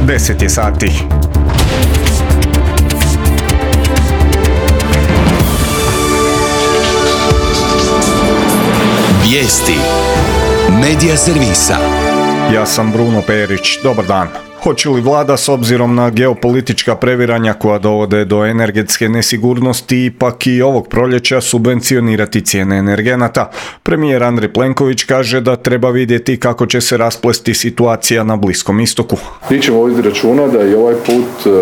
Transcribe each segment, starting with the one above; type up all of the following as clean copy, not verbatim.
10 je sati. Vijesti Medija servisa. Ja sam Bruno Perić, dobar dan. Hoće li vlada s obzirom na geopolitička previranja koja dovode do energetske nesigurnosti ipak i ovog proljeća subvencionirati cijene energenata? Premijer Andrej Plenković kaže da treba vidjeti kako će se rasplesti situacija na Bliskom istoku. Mi ćemo voditi računa da i ovaj put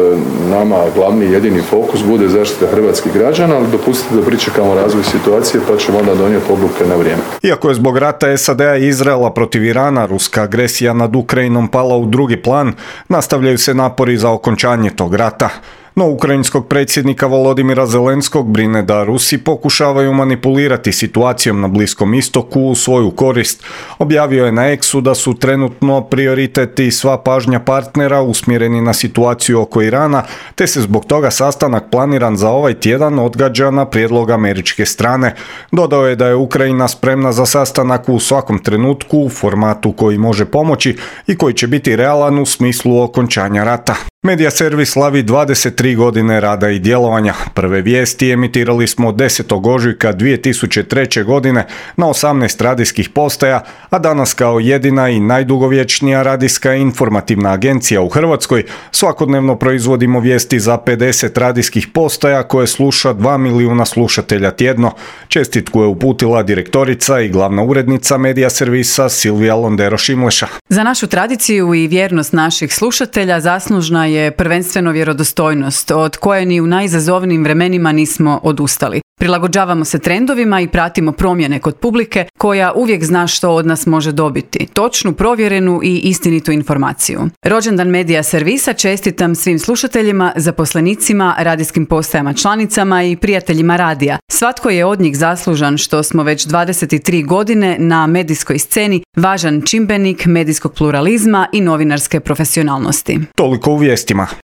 nama glavni jedini fokus bude zaštita hrvatskih građana, ali dopustite da pričekamo razvoj situacije pa ćemo onda donijeti odluke na vrijeme. Iako je zbog rata SAD-a i Izraela protiv Irana ruska agresija nad Ukrajinom pala u drugi plan, nastavljaju se napori za okončanje tog rata. No ukrajinskog predsjednika Volodimira Zelenskog brine da Rusi pokušavaju manipulirati situacijom na Bliskom istoku u svoju korist. Objavio je na X-u da su trenutno prioriteti i sva pažnja partnera usmjereni na situaciju oko Irana, te se zbog toga sastanak planiran za ovaj tjedan odgađa na prijedlog američke strane. Dodao je da je Ukrajina spremna za sastanak u svakom trenutku u formatu koji može pomoći i koji će biti realan u smislu okončanja rata. Medija servis slavi 23 godine rada i djelovanja. Prve vijesti emitirali smo 10. ožujka 2003. godine na 18 radijskih postaja, a danas kao jedina i najdugovječnija radijska informativna agencija u Hrvatskoj svakodnevno proizvodimo vijesti za 50 radijskih postaja koje sluša 2 milijuna slušatelja tjedno. Čestitku je uputila direktorica i glavna urednica medija servisa Silvija Londero-Šimleša. Za našu tradiciju i vjernost naših slušatelja zaslužna je prvenstveno vjerodostojnost, od koje ni u najizazovnijim vremenima nismo odustali. Prilagođavamo se trendovima i pratimo promjene kod publike koja uvijek zna što od nas može dobiti. Točnu, provjerenu i istinitu informaciju. Rođendan medija servisa čestitam svim slušateljima, zaposlenicima, radijskim postajama članicama i prijateljima radija. Svatko je od njih zaslužan što smo već 23 godine na medijskoj sceni važan čimbenik medijskog pluralizma i novinarske profesionalnosti. Toliko u vijestima.